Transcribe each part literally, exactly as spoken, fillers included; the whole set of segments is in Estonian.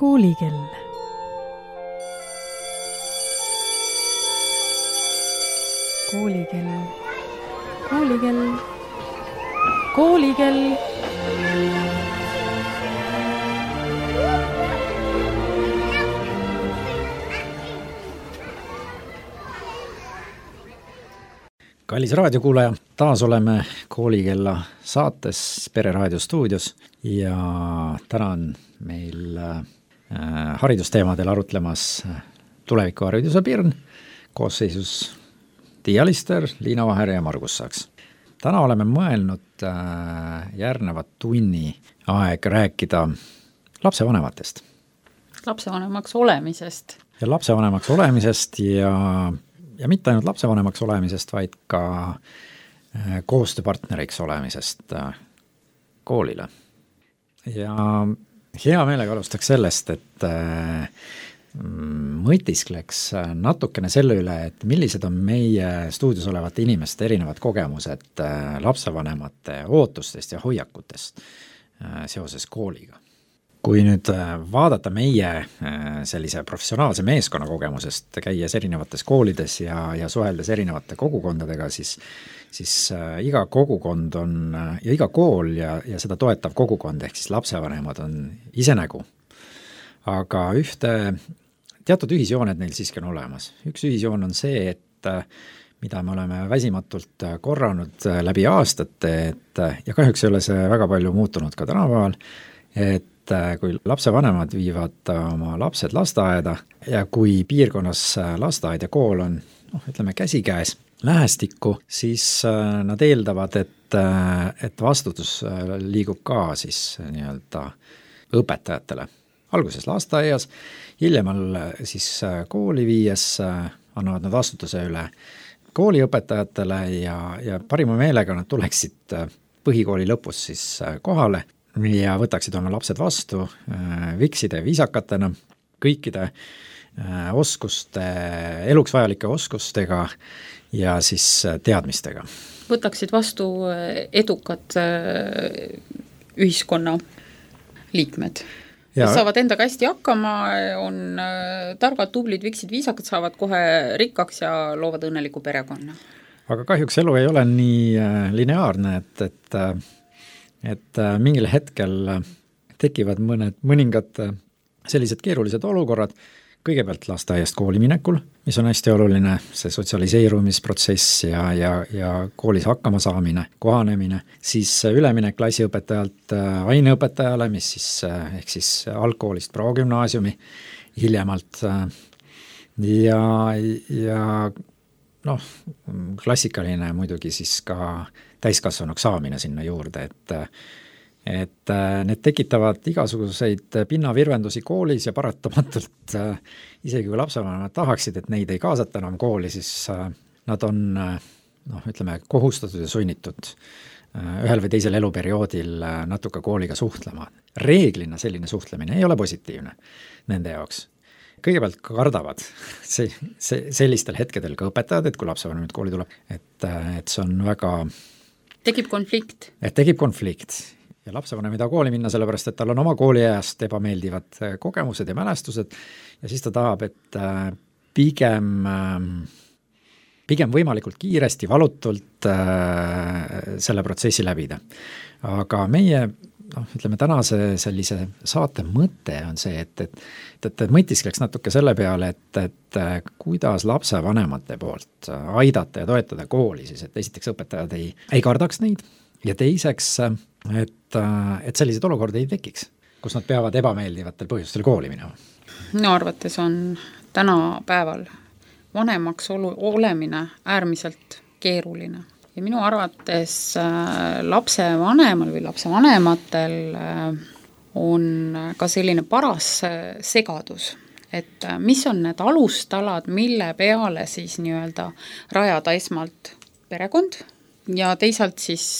Koolikell. Koolikell. Koolikell. Koolikell. Kallis raadiokuulaja, taas oleme Koolikella saates Pereraadio stuudios ja täna on meil äh, haridusteemadel arutlemas tulevikuhariduse Pirn koosseisus Tiia Lister, Liina Vaher ja Margus Saks. Täna oleme mõelnud äh, järgnevat tunni aeg rääkida lapsevanematest. Lapsevanemaks olemisest. Ja lapsevanemaks olemisest ja Ja mitte ainult lapsevanemaks olemisest, vaid ka koostööpartneriks olemisest koolile. Ja hea meelega alustaks sellest, et mõtiskleks natukene selle üle, et millised on meie stuudios olevate inimeste erinevad kogemused lapsevanemate ootustest ja hoiakutest seoses kooliga. Kui nüüd vaadata meie sellise professionaalse meeskonna kogemusest, käies erinevates koolides ja, ja suheldes erinevate kogukondadega, siis, siis iga kogukond on ja iga kool ja, ja seda toetav kogukond ehk siis lapsevanemad on ise nägu. Aga ühte teatud ühisjooned neil siiski on olemas. Üks ühisjoon on see, et mida me oleme väsimatult korranud läbi aastate, et, ja kahjuks ei ole see väga palju muutunud ka tänapäeval, et kui lapsevanemad viivad oma lapsed lasteaeda ja kui piirkonnas lasteaed ja kool on, noh, ütleme käsikäes lähestikku, siis nad eeldavad, et, et vastutus liigub ka siis nii-öelda õpetajatele. Alguses lasteaias, hiljemal siis kooli viies annavad nad vastutuse üle kooliõpetajatele ja, ja parima meelega nad tuleksid põhikooli lõpus siis kohale ja võtaksid oma lapsed vastu vikside ja viisakatena, kõikide oskuste, eluks vajalike oskustega ja siis teadmistega. Võtaksid vastu edukad ühiskonna liikmed. Ja saavad endaga hästi hakkama, on targad, tublid, viksid, viisakad, saavad kohe rikkaks ja loovad õnneliku perekonna. Aga kahjuks elu ei ole nii lineaarne, et, et et mingil hetkel tekivad mõned, mõningad sellised keerulised olukorrad, kõigepealt lasteaiast kooli minekul, mis on hästi oluline, see sotsialiseerumisprotsess ja, ja, ja koolis hakkama saamine, kohanemine, siis üleminek klassiõpetajalt aineõpetajale, mis siis, ehk siis algkoolist progümnaasiumi hiljemalt ja, ja noh, klassikaline muidugi siis ka täiskasvanuks saamine sinna juurde, et, et need tekitavad igasuguseid pinnavirvendusi koolis ja paratamatult isegi kui lapsevanemad tahaksid, et neid ei kaasata enam kooli, siis nad on, noh, ütleme, kohustatud ja sunnitud ühel või teisel eluperioodil natuke kooliga suhtlema. Reeglina selline suhtlemine ei ole positiivne nende jaoks. Kõigepealt kardavad see, see, sellistel hetkedel ka õpetajad, et kui lapsevanem nüüd kooli tuleb, et, et see on väga tekib konflikt. Et tekib konflikt ja lapsevanem ei taha kooli minna, sellepärast et tal on oma kooliajast ebameeldivad kogemused ja mälestused ja siis ta tahab, et pigem, pigem võimalikult kiiresti, valutult selle protsessi läbida. Aga meie, noh, ütleme tänase sellise saate mõte on see, et, et, et, et mõtiskleks natuke selle peale, et, et kuidas lapsevanemate poolt aidata ja toetada kooli, siis et esiteks õpetajad ei, ei kardaks neid ja teiseks, et, et sellised olukorda ei tekiks, kus nad peavad ebameeldivatel põhjustel kooli minema. Minu arvates on tänapäeval vanemaks olu, olemine äärmiselt keeruline. Ja minu arvates lapsevanemal või lapsevanematel on ka selline paras segadus, et mis on need alustalad, mille peale siis nii-öelda rajada esmalt perekond ja teisalt siis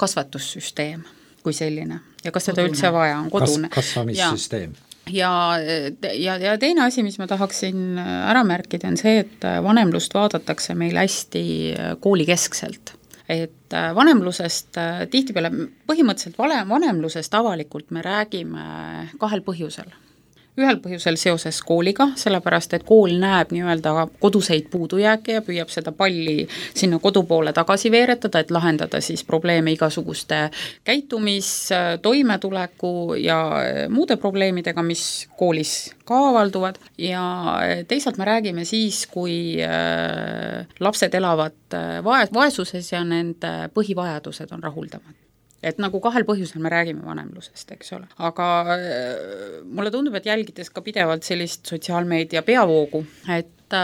kasvatussüsteem kui selline ja kas seda üldse vaja on, kodune. Kas, kasvamissüsteem. Ja, ja, ja teine asi, mis ma tahaksin ära märkida, on see, et vanemlust vaadatakse meil hästi koolikeskselt. et vanemlusest tihtipeale, põhimõtteliselt vanemlusest avalikult me räägime kahel põhjusel. Ühel põhjusel seoses kooliga, sellepärast et kool näeb nii-öelda koduseid puudujääke ja püüab seda palli sinna kodu poole tagasi veeretada, et lahendada siis probleeme igasuguste käitumis, toimetuleku ja muude probleemidega, mis koolis ka avalduvad, ja teisalt me räägime siis, kui lapsed elavad vaesuses ja nende põhivajadused on rahuldamad. Et nagu kahel põhjusel me räägime vanemlusest, eks ole. Aga mulle tundub, et jälgides ka pidevalt sellist sotsiaalmeedia peavoogu, et,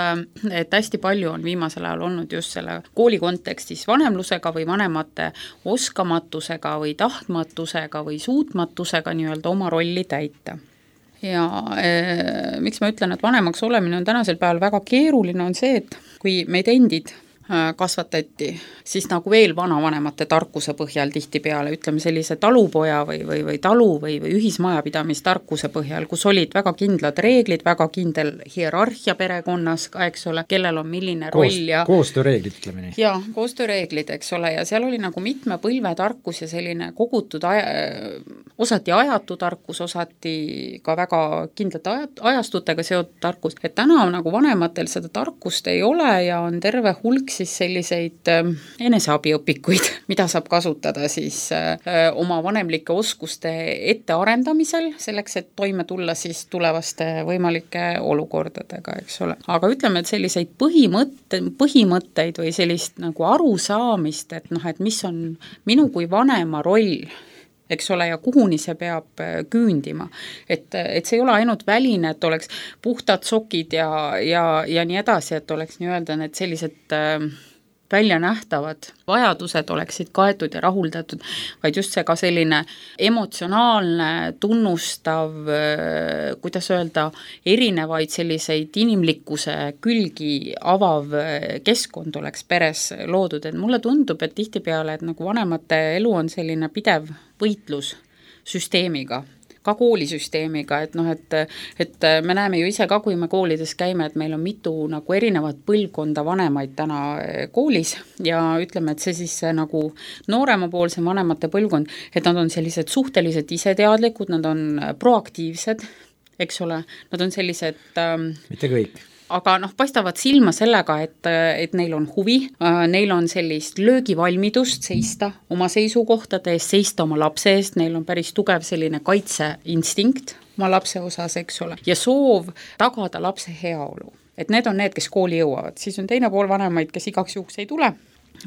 et hästi palju on viimasel ajal olnud just selle kooli kontekstis vanemlusega või vanemate oskamatusega või tahtmatusega või suutmatusega nii-öelda oma rolli täita. Ja e, miks ma ütlen, et vanemaks olemine on tänasel päeval väga keeruline, on see, et kui meid endid kasvatati, siis nagu veel vanavanemate tarkuse põhjal tihtipeale, ütleme sellise talupoja või, või, või talu või, või ühismajapidamistarkuse põhjal, kus olid väga kindlad reeglid, väga kindel hierarhia perekonnas, eks ole, kellel on milline Koos, roll ja koostööreeglid, ütleme nii. Jaa, koostööreeglid, eks ole, ja seal oli nagu mitme põlve tarkus ja selline kogutud aja, osati ajatu tarkus, osati ka väga kindlate ajat, ajastutega seotud tarkus, et täna nagu vanematel seda tarkust ei ole ja on terve hulk siis selliseid äh, eneseabiõpikuid, mida saab kasutada siis äh, oma vanemlike oskuste ettearendamisel, selleks, et toime tulla siis tulevaste võimalike olukordadega, eks ole. Aga ütleme, et selliseid põhimõtte, põhimõtteid või sellist nagu arusaamist, et noh, et mis on minu kui vanema roll, eks ole, ja kuhuni see peab küündima. Et, et see ei ole ainult väline, et oleks puhtad sokid ja, ja, ja nii edasi, et oleks nii-öelda need sellised äh, väljanähtavad vajadused oleksid kaetud ja rahuldatud, vaid just see ka selline emotsionaalne, tunnustav, äh, kuidas öelda, erinevaid selliseid inimlikkuse külgi avav keskkond oleks peres loodud, et mulle tundub, et tihtipeale, et nagu vanemate elu on selline pidev võitlus süsteemiga, ka koolisüsteemiga, et noh, et, et me näeme ju ise ka, kui me koolides käime, et meil on mitu nagu erinevat põlvkonda vanemaid täna koolis ja ütleme, et see siis see nagu nooremapoolse vanemate põlvkond, et nad on sellised suhteliselt iseteadlikud, nad on proaktiivsed, eks ole, nad on sellised ähm, mitte kõik. Aga noh, paistavad silma sellega, et, et neil on huvi, neil on sellist löögivalmidust seista oma seisukohtade eest, seista oma lapse eest, neil on päris tugev selline kaitseinstinkt oma lapse osas, eks ole, ja soov tagada lapse heaolu. Et need on need, kes kooli jõuavad, siis on teine pool vanemaid, kes igaks juhuks ei tule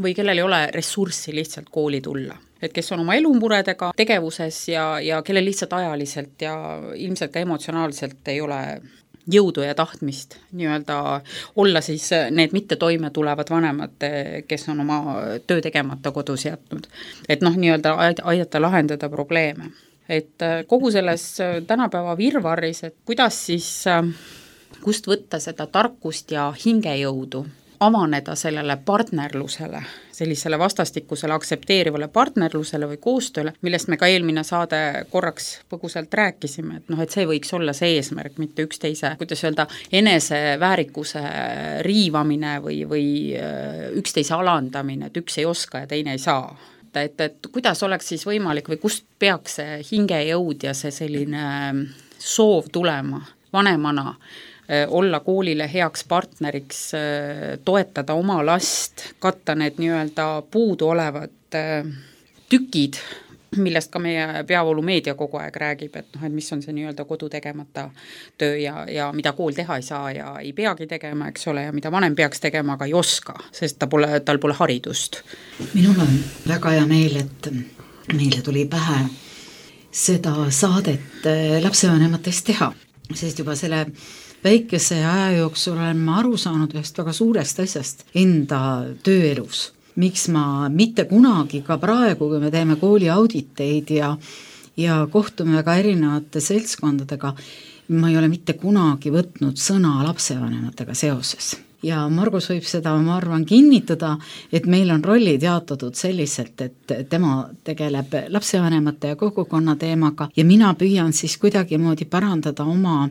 või kellel ei ole ressurssi lihtsalt kooli tulla. Et kes on oma elumuredega tegevuses ja, ja kellel lihtsalt ajaliselt ja ilmselt ka emotsionaalselt ei ole jõudu ja tahtmist nii-öelda olla siis need mitte toime tulevad vanemad, kes on oma töö tegemata kodus jätnud. Et noh, nii-öelda aidata lahendada probleeme. Et kogu selles tänapäeva virvarris, et kuidas siis, kust võtta seda tarkust ja hingejõudu, avaneda sellele partnerlusele, sellisele vastastikusele aktsepteerivale partnerlusele või koostööle, millest me ka eelmine saade korraks põgusalt rääkisime, et noh, et see võiks olla see eesmärk, mitte üksteise, kuidas öelda, eneseväärikuse riivamine või, või üksteise alandamine, et üks ei oska ja teine ei saa. Et, et kuidas oleks siis võimalik või kust peaks see hingejõud ja see selline soov tulema vanemana, olla koolile heaks partneriks, toetada oma last, katta need nii-öelda puudu olevad tükid, millest ka meie peavoolumeedia kogu aeg räägib, et noh, et mis on see nii-öelda kodu tegemata töö ja, ja mida kool teha ei saa ja ei peagi tegema, eks ole, ja mida vanem peaks tegema, aga ei oska, sest ta pole, tal pole haridust. Minul on väga hea meel, et meile tuli pähe seda saadet lapsevanematest teha, sest juba selle väikese aja jooksul olen ma aru saanud ühest väga suurest asjast enda tööelus. Miks ma mitte kunagi ka praegu, kui me teeme kooli auditeid ja, ja kohtume ka erinevate seltskondadega, ma ei ole mitte kunagi võtnud sõna lapsevanematega seoses. Ja Margus võib seda, ma arvan, kinnitada, et meil on rollid jaotatud selliselt, et tema tegeleb lapsevanemate ja kogukonna teemaga ja mina püüan siis kuidagi moodi parandada oma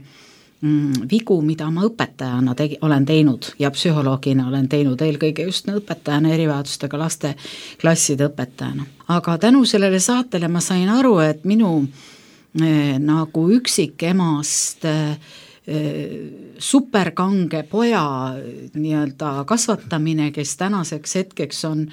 vigu, mida ma õpetajana tegi, olen teinud ja psühholoogina olen teinud, eelkõige just õpetajana, erivajadustega laste klasside õpetajana. aga tänu sellele saatele ma sain aru, et minu eh, nagu üksikemast eh, superkange poja nii-öelda kasvatamine, kes tänaseks hetkeks on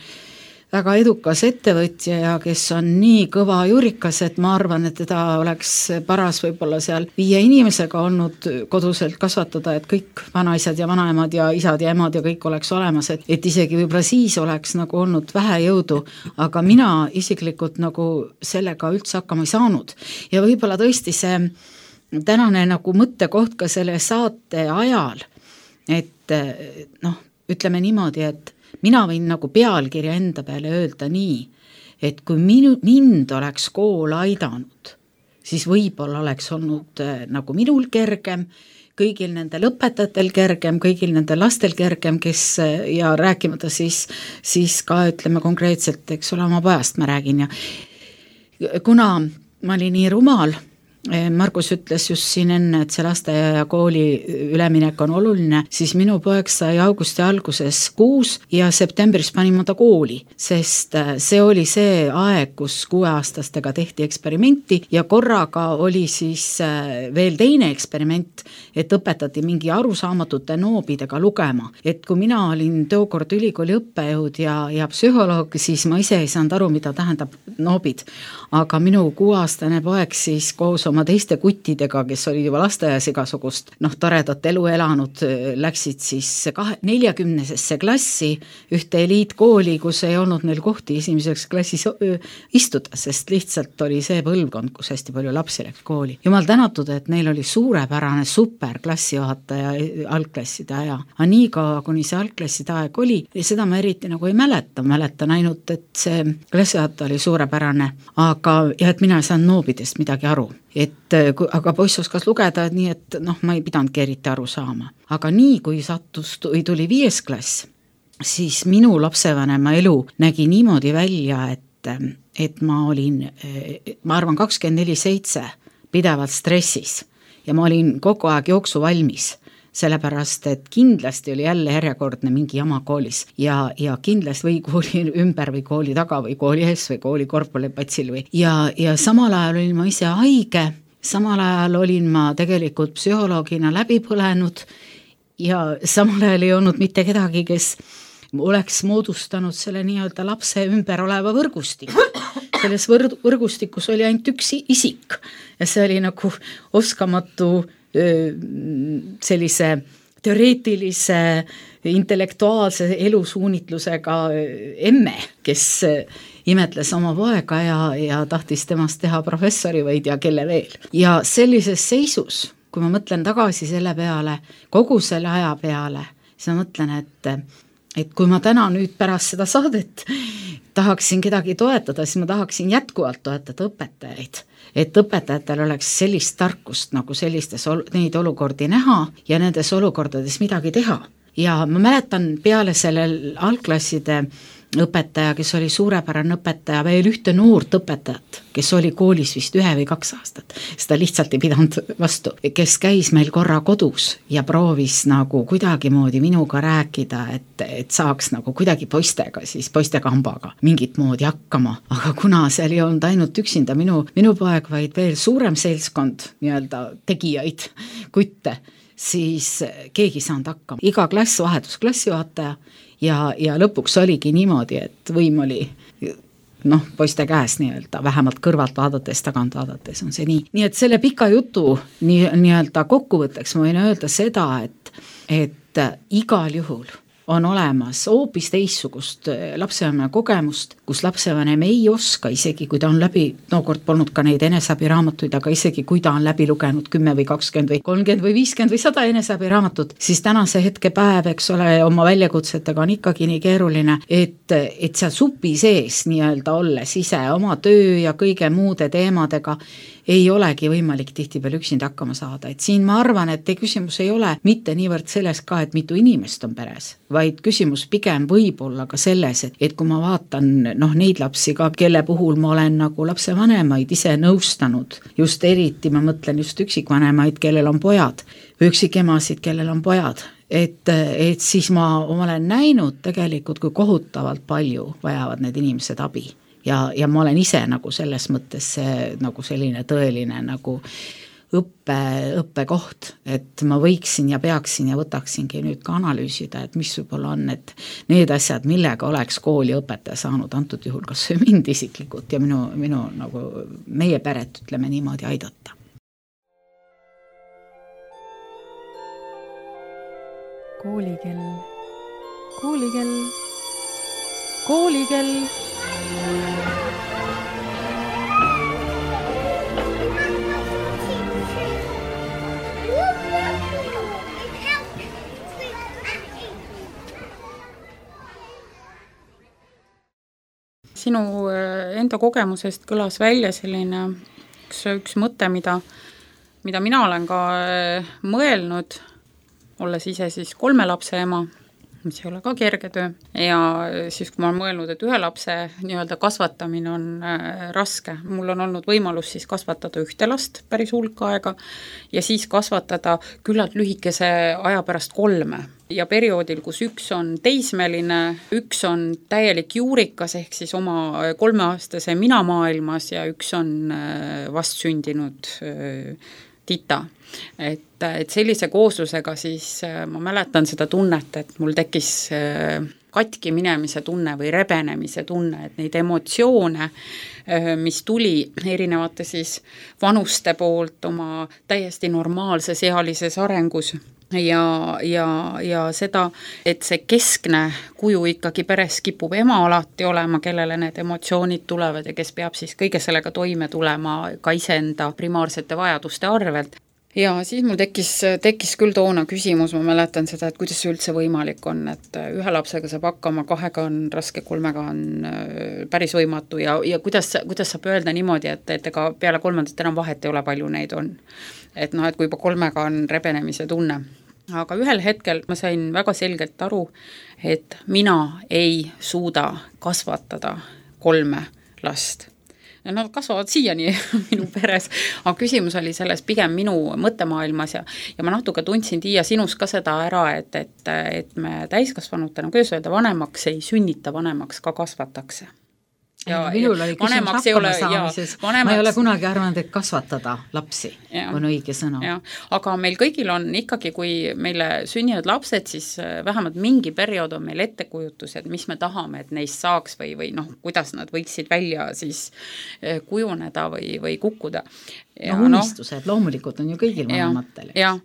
väga edukas ettevõtja ja kes on nii kõva jurikas, et ma arvan, et teda oleks paras võib-olla seal viie inimesega olnud koduselt kasvatada, et kõik vanaisad ja vanaemad ja isad ja emad ja kõik oleks olemas, et, et isegi võib-olla siis oleks nagu olnud vähe jõudu, aga mina isiklikult nagu sellega üldse hakkama ei saanud. Ja võib-olla tõesti see tänane nagu mõttekoht ka selle saate ajal, et noh, ütleme niimoodi, et mina võin nagu pealkirja enda peale öelda nii, et kui minu, mind oleks kool aidanud, siis võib-olla oleks olnud nagu minul kergem, kõigil nendel õpetajatel kergem, kõigil nendel lastel kergem, kes ja rääkimata siis, siis ka ütleme konkreetselt, eks ole, oma pojast ma räägin ja kuna ma olin nii rumal, Margus ütles just siin enne, et see lasteaia ja kooli üleminek on oluline, siis minu poeg sai augusti alguses kuus ja septembris panin ma ta kooli, sest see oli see aeg, kus kuueaastastega tehti eksperimenti ja korraga oli siis veel teine eksperiment, et õpetati mingi arusaamatute noobidega lugema. Et kui mina olin tookord ülikooli õppejõud ja, ja psühholoog, siis ma ise ei saanud aru, mida tähendab noobid. Aga minu kuueaastane poeg siis koos oma teiste kuttidega, kes olid juba lasteaias igasugust, noh, toredat elu elanud, läksid siis kahe, neljakümnesesse klassi ühte eliitkooli, kus ei olnud neil kohti esimeseks klassis istuda, sest lihtsalt oli see põlvkond, kus hästi palju lapsi läks kooli. Jumal tänatud, et neil oli suurepärane super klassijuhataja algklasside aja. Aga nii ka, kuni see algklasside aeg oli, seda ma eriti nagu ei mäleta, mäletan ainult, et see klassijuhataja oli suurepärane, aga ja et mina ei saanud noobidest midagi aru. Et, aga poiss oskas lugeda, nii et noh, ma ei pidanudki eriti aru saama. Aga nii, kui sattus, tuli viies klass, siis minu lapsevanema elu nägi niimoodi välja, et, et ma olin, ma arvan, kakskümmend neli seitse pidevalt stressis ja ma olin kogu aeg jooksu valmis, sellepärast, et kindlasti oli jälle järjekordne mingi jama koolis ja, ja kindlasti või kooli ümber või kooli taga või kooli ees või kooli korpulipatsil või ja, ja samal ajal olin ma ise haige, samal ajal olin ma tegelikult psühholoogina läbi põlenud ja samal ajal ei olnud mitte kedagi, kes oleks moodustanud selle nii-öelda lapse ümber oleva võrgustik. Selles võr- võrgustikus oli ainult üks isik ja see oli nagu oskamatu sellise teoreetilise, intellektuaalse elusuunitlusega emme, kes imetles oma poega ja, ja tahtis temast teha professori või ei tea kelle veel. Ja sellises seisus, kui ma mõtlen tagasi selle peale, kogu selle aja peale, siis ma mõtlen, et, et kui ma täna nüüd pärast seda saadet tahaksin kedagi toetada, siis ma tahaksin jätkuvalt toetada õpetajaid, et õpetajatel oleks sellist tarkust nagu sellistes neid olukordi näha ja nendes olukordades midagi teha. Ja ma mäletan peale sellel algklasside õpetaja, kes oli suurepärane õpetaja, veel ühte noort õpetajat, kes oli koolis vist ühe või kaks aastat, seda lihtsalt ei pidanud vastu, kes käis meil korra kodus ja proovis nagu kuidagi moodi minuga rääkida, et, et saaks nagu kuidagi poistega, siis poistega hambaga mingit moodi hakkama, aga kuna seal ei olnud ainult üksinda minu, minu poeg, vaid veel suurem seltskond nii-öelda tegijaid, kutte, siis keegi saanud hakkama. Iga klass vahetus klassijuhataja ja, ja lõpuks oligi niimoodi, et võim oli noh, poiste käes nii-öelda, vähemalt kõrvalt vaadates, tagant vaadates on see nii. Nii et selle pika jutu nii, nii-öelda kokkuvõtteks ma võin öelda seda, et, et igal juhul on olemas hoopis teissugust lapsevanema kogemust, kus lapsevanem ei oska, isegi kui ta on läbi, nookord polnud ka neid eneseabiraamatuid, aga isegi kui ta on läbi lugenud kümme või kakskümmend või kolmkümmend või viiskümmend või sada eneseabiraamatut, siis tänase hetke päev, eks ole, oma väljakutsetega on ikkagi nii keeruline, et, et seal supi sees nii-öelda olles ise oma töö ja kõige muude teemadega, ei olegi võimalik tihtipeale üksinda hakkama saada, et siin ma arvan, et küsimus ei ole mitte niivõrd selles ka, et mitu inimest on peres, vaid küsimus pigem võib olla ka selles, et, et kui ma vaatan noh, neid lapsi ka, kelle puhul ma olen nagu lapsevanemaid ise nõustanud, just eriti ma mõtlen just üksikvanemaid, kellel on pojad, või üksikemasid, kellel on pojad, et, et siis ma, ma olen näinud tegelikult, kui kohutavalt palju vajavad need inimesed abi. Ja, ja ma olen ise nagu selles mõttes see, nagu selline tõeline nagu õppe, õppekoht, et ma võiksin ja peaksin ja võtaksingi nüüd ka analüüsida, et mis võib-olla on need, need asjad, millega oleks kooli õpetaja saanud antud juhul kas mind isiklikult ja minu, minu nagu meie peret, ütleme niimoodi, aidata. Koolikell, koolikell, koolikell. Sinu enda kogemusest kõlas välja selline üks, üks mõte, mida, mida mina olen ka mõelnud, olles ise siis kolme lapse ema, mis ei ole ka kerge töö. Ja siis, kui ma olen mõelnud, et ühe lapse nii-öelda kasvatamine on äh, raske, mul on olnud võimalus siis kasvatada ühte last päris hulk aega ja siis kasvatada küllalt lühikese aja pärast kolme. Ja perioodil, kus üks on teismeline, üks on täielik juurikas ehk siis oma kolmeaastase mina maailmas ja üks on äh, vast sündinud äh, tita. Et, et sellise kooslusega siis ma mäletan seda tunnet, et mul tekkis katki minemise tunne või rebenemise tunne, et neid emotsioone, mis tuli erinevate siis vanuste poolt oma täiesti normaalses ealises arengus ja, ja, ja seda, et see keskne kuju ikkagi peres kipub ema alati olema, kellele need emotsioonid tulevad ja kes peab siis kõige sellega toime tulema ka iseenda primaarsete vajaduste arvelt. Ja siis mul tekkis, tekkis küll toona küsimus, ma mäletan seda, et kuidas see üldse võimalik on, et ühe lapsega saab hakkama, kahega on raske, kolmega on päris võimatu ja, ja kuidas, kuidas saab öelda niimoodi, et, et ega peale kolmandat enam vahet ei ole, palju neid on. Et noh, et kui juba kolmega on rebenemise tunne. Aga ühel hetkel ma sain väga selgelt aru, et mina ei suuda kasvatada kolme last. Nad kasvavad siiani minu peres, aga küsimus oli selles pigem minu mõttemaailmas ja, ja ma natuke tundsin Tiia sinus ka seda ära, et, et, et me täiskasvanutena, kuidas öelda, vanemaks ei sünnita, vanemaks ka kasvatakse. Ja, minul oli küsimus hakkama saamises, vanemaks... ma ei ole kunagi arvanud, et kasvatada lapsi ja, on õige sõna. Ja, aga meil kõigil on ikkagi, kui meile sünnivad lapsed, siis vähemalt mingi periood on meil ettekujutused, mis me tahame, et neist saaks või, või noh, kuidas nad võiksid välja siis kujuneda või, või kukkuda. Ja, no unistused no, loomulikult on ju kõigil vanematel. Ja,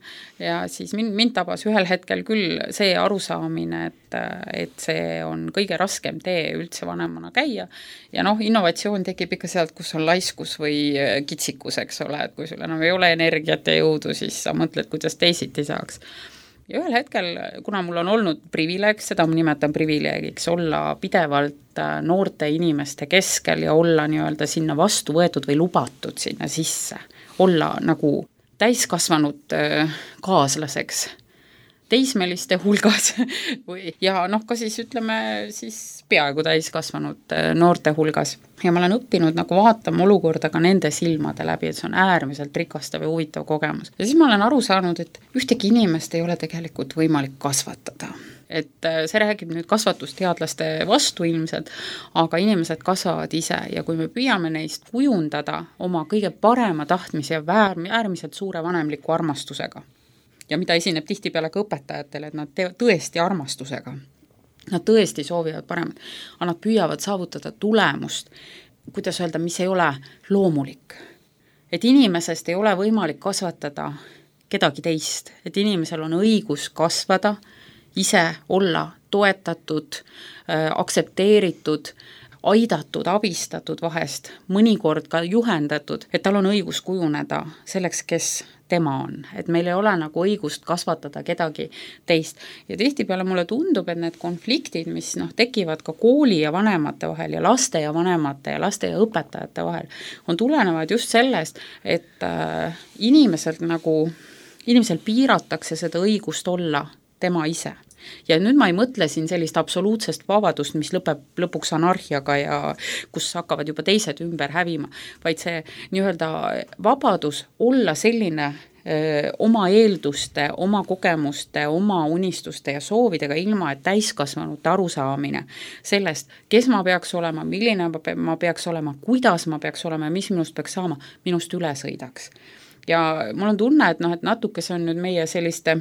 ja siis mind, mind tabas ühel hetkel küll see arusaamine, et, et see on kõige raskem tee üldse vanemana käia ja noh, innovatsioon tekib ikka sealt, kus on laiskus või kitsikus, eks ole, et kui sul enam ei ole energiat ja jõudu, siis sa mõtled, kuidas teisiti saaks. Ja ühel hetkel, kuna mul on olnud privileeg, seda ma nimetan privileegiks, olla pidevalt noorte inimeste keskel ja olla nii-öelda sinna vastu võetud või lubatud sinna sisse, olla nagu täiskasvanud kaaslaseks teismeliste hulgas või, ja noh, ka siis ütleme siis peaaegu täiskasvanud noorte hulgas. Ja ma olen õppinud nagu vaatama olukorda ka nende silmade läbi, et see on äärmiselt rikastav ja huvitav kogemus. Ja siis ma olen aru saanud, et ühtegi inimest ei ole tegelikult võimalik kasvatada. Et see räägib nüüd kasvatusteadlaste vastu ilmselt, aga inimesed kasvavad ise ja kui me püüame neist kujundada oma kõige parema tahtmise ja äärmiselt suure vanemliku armastusega, ja mida esineb tihtipeale ka õpetajatele, et nad teevad tõesti armastusega. Nad tõesti soovivad paremat, aga nad püüavad saavutada tulemust, kuidas öelda, mis ei ole loomulik. Et inimesest ei ole võimalik kasvatada kedagi teist, et inimesel on õigus kasvada, ise olla toetatud, aktsepteeritud, aidatud, abistatud vahest, mõnikord ka juhendatud, et tal on õigus kujuneda selleks, kes tema on, et meil ei ole nagu õigust kasvatada kedagi teist. Ja tihtipeale mulle tundub, et need konfliktid, mis noh, tekivad ka kooli ja vanemate vahel ja laste ja vanemate ja laste ja õpetajate vahel, on tulenevad just sellest, et äh, inimeselt nagu, inimesel piiratakse seda õigust olla tema ise. Ja nüüd ma ei mõtle siin sellist absoluutsest vabadust, mis lõpeb lõpuks anarhiaga ja kus hakkavad juba teised ümber hävima, vaid see nii-öelda vabadus olla selline öö, oma eelduste, oma kogemuste, oma unistuste ja soovidega ilma, et täiskasvanute arusaamine sellest, kes ma peaks olema, milline ma peaks olema, kuidas ma peaks olema ja mis minust peaks saama, minust üle sõidaks. Ja mul on tunne, et, noh, et natuke see on nüüd meie selliste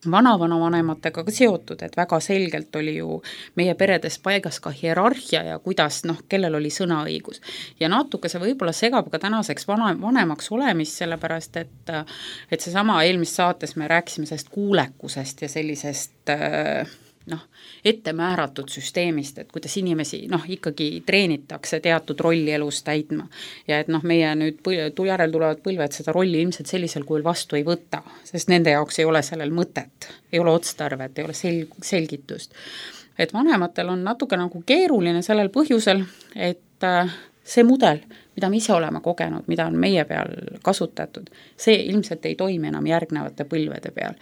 vana-vanavanematega ka seotud, et väga selgelt oli ju meie peredes paigas ka hierarhia ja kuidas, noh, kellel oli sõnaõigus. Ja natuke see võib-olla segab ka tänaseks vana, vanemaks olemist, sellepärast et, et seesama eelmist saates me rääkisime sellest kuulekusest ja sellisest noh, ettemääratud süsteemist, et kuidas inimesi noh, ikkagi treenitakse teatud rolli elus täitma ja et noh, meie nüüd põl- järel tulevad põlved seda rolli ilmselt sellisel kujul vastu ei võta, sest nende jaoks ei ole sellel mõtet, ei ole otstarvet, ei ole sel- selgitust. Et vanematel on natuke nagu keeruline sellel põhjusel, et see mudel, mida me ise oleme kogenud, mida on meie peal kasutatud, see ilmselt ei toimi enam järgnevate põlvede peal.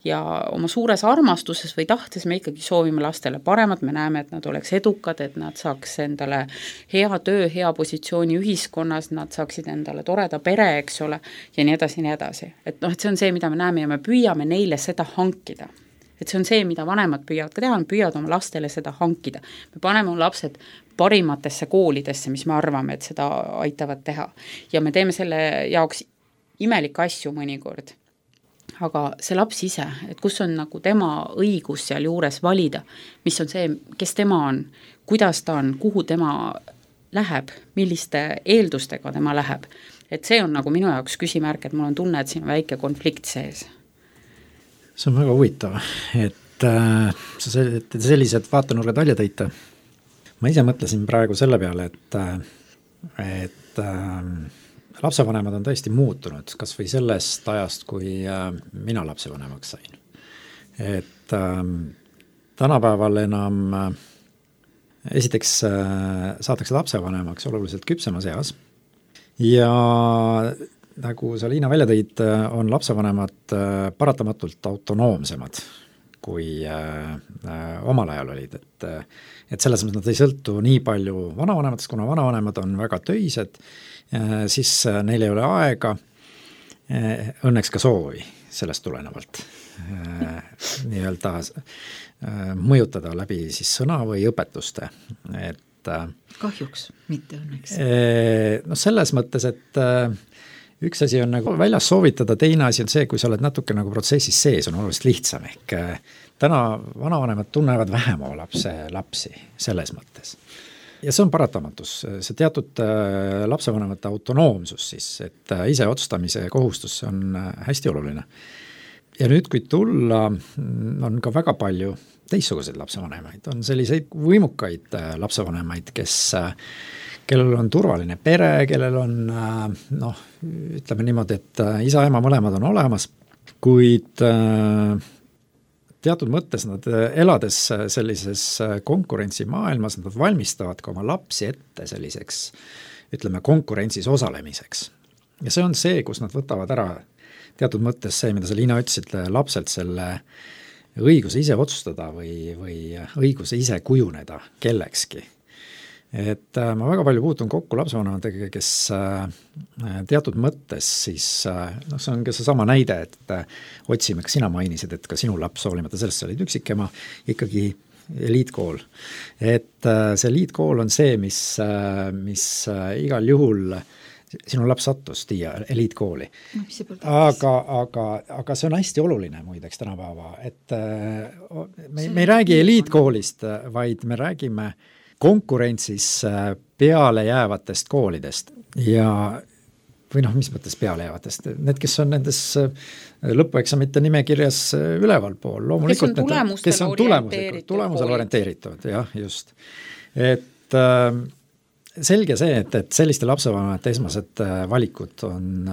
Ja oma suures armastuses või tahtes me ikkagi soovime lastele paremat, me näeme, et nad oleks edukad, et nad saaks endale hea töö, hea positsiooni ühiskonnas, nad saaksid endale toreda pere, eks ole, ja nii edasi, nii edasi. Et noh, et see on see, mida me näeme ja me püüame neile seda hankida. Et see on see, mida vanemad püüavad ka teha, nad püüavad oma lastele seda hankida. Me paneme oma lapsed parimatesse koolidesse, mis me arvame, et seda aitavad teha. Ja me teeme selle jaoks imelikke asju mõnikord. Aga see laps ise, et kus on nagu tema õigus seal juures valida, mis on see, kes tema on, kuidas ta on, kuhu tema läheb, milliste eeldustega tema läheb. Et see on nagu minu jaoks küsimärk, et mul on tunne, et siin on väike konflikt sees. See on väga huvitav, et äh, sa sellised vaatenurgad välja tõite. Ma ise mõtlesin praegu selle peale, et, et äh, lapsevanemad on tõesti muutunud, kas või sellest ajast, kui äh, mina lapsevanemaks sain. Et äh, tänapäeval enam äh, esiteks äh, saadakse lapsevanemaks oluliselt küpsemas eas ja nagu sa, Liina, välja tõid, on lapsevanemad paratamatult autonoomsemad kui äh, omal ajal olid, et, et selles mõttes nad ei sõltu nii palju vanavanematest, kuna vanavanemad on väga töised, äh, siis neil ei ole aega, äh, õnneks ka soovi sellest tulenevalt äh, nii-öelda äh, mõjutada läbi siis sõna või õpetuste, et äh, kahjuks, mitte õnneks. Äh, no selles mõttes, et äh, üks asi on nagu väljas soovitada, teine asi on see, kui sa oled natuke nagu protsessis sees, on oluliselt lihtsam, ehk täna vanavanemad tunnevad vähem oma lapse, lapsi selles mõttes. Ja see on paratamatus, see teatud lapsevanemate autonoomsus siis, et ise otsustamise kohustus on hästi oluline. Ja nüüd, kui tulla, on ka väga palju teistsuguseid lapsevanemaid, on selliseid võimukaid lapsevanemaid, kes kellel on turvaline pere, kellel on, noh, ütleme niimoodi, et isa ja ema mõlemad on olemas, kuid teatud mõttes nad elades sellises konkurentsimaailmas, nad valmistavad ka oma lapsi ette selliseks, ütleme, konkurentsis osalemiseks. Ja see on see, kus nad võtavad ära teatud mõttes see, mida sa, Liina, ütlesid, lapselt selle õiguse ise otsustada või, või õiguse ise kujuneda kellekski. Et äh, ma väga palju puutun kokku lapsevanematega, kes äh, teatud mõttes siis, äh, noh, see on ka see sama näide, et äh, otsime, kas sina mainisid, et ka sinu laps, hoolimata sellest, sa olid üksikema, ikkagi eliitkool. Et äh, see eliitkool on see, mis, äh, mis äh, igal juhul sinu laps sattus Tiia eliitkooli. Aga, aga, aga see on hästi oluline muideks tänapäeva, et äh, me, me ei räägi eliitkoolist, vaid me räägime konkurentsis peale jäävatest koolidest ja või noh, mis mõttes peale jäävatest, need, kes on nendes lõpueksamite nimekirjas üleval pool, loomulikult kes on tulemustele kes on tulemusel orienteeritud, jah, just. Et, selge see, et, et selliste lapsevanemate esmased valikud on,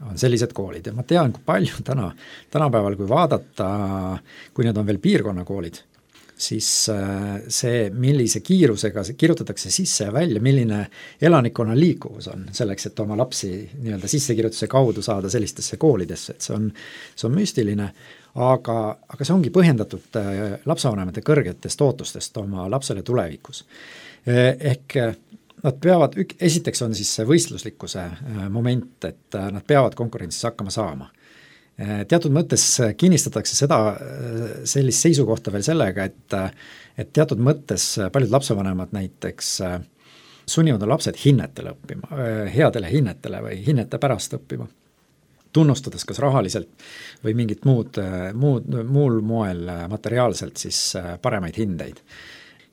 on sellised koolid ja ma tean, kui palju täna, tänapäeval, kui vaadata, kui need on veel piirkonnakoolid, siis see, millise kiirusega kirjutatakse sisse ja välja, milline elanikkonna liikuvus on selleks, et oma lapsi nii-öelda sissekirjutuse kaudu saada sellistesse koolidesse, et see on, see on müstiline, aga, aga see ongi põhjendatud lapsevanemate kõrgetest ootustest oma lapsele tulevikus. Ehk nad peavad, esiteks on siis see võistluslikkuse moment, et nad peavad konkurentsis hakkama saama. Teatud mõttes kinnistatakse seda, sellist seisukohta veel sellega, et, et teatud mõttes paljud lapsevanemad näiteks sunnivad lapsed hinnetele õppima, headele hinnetele või hinnete pärast õppima, tunnustades kas rahaliselt või mingit muud, muud, muul moel materiaalselt siis paremaid hindeid.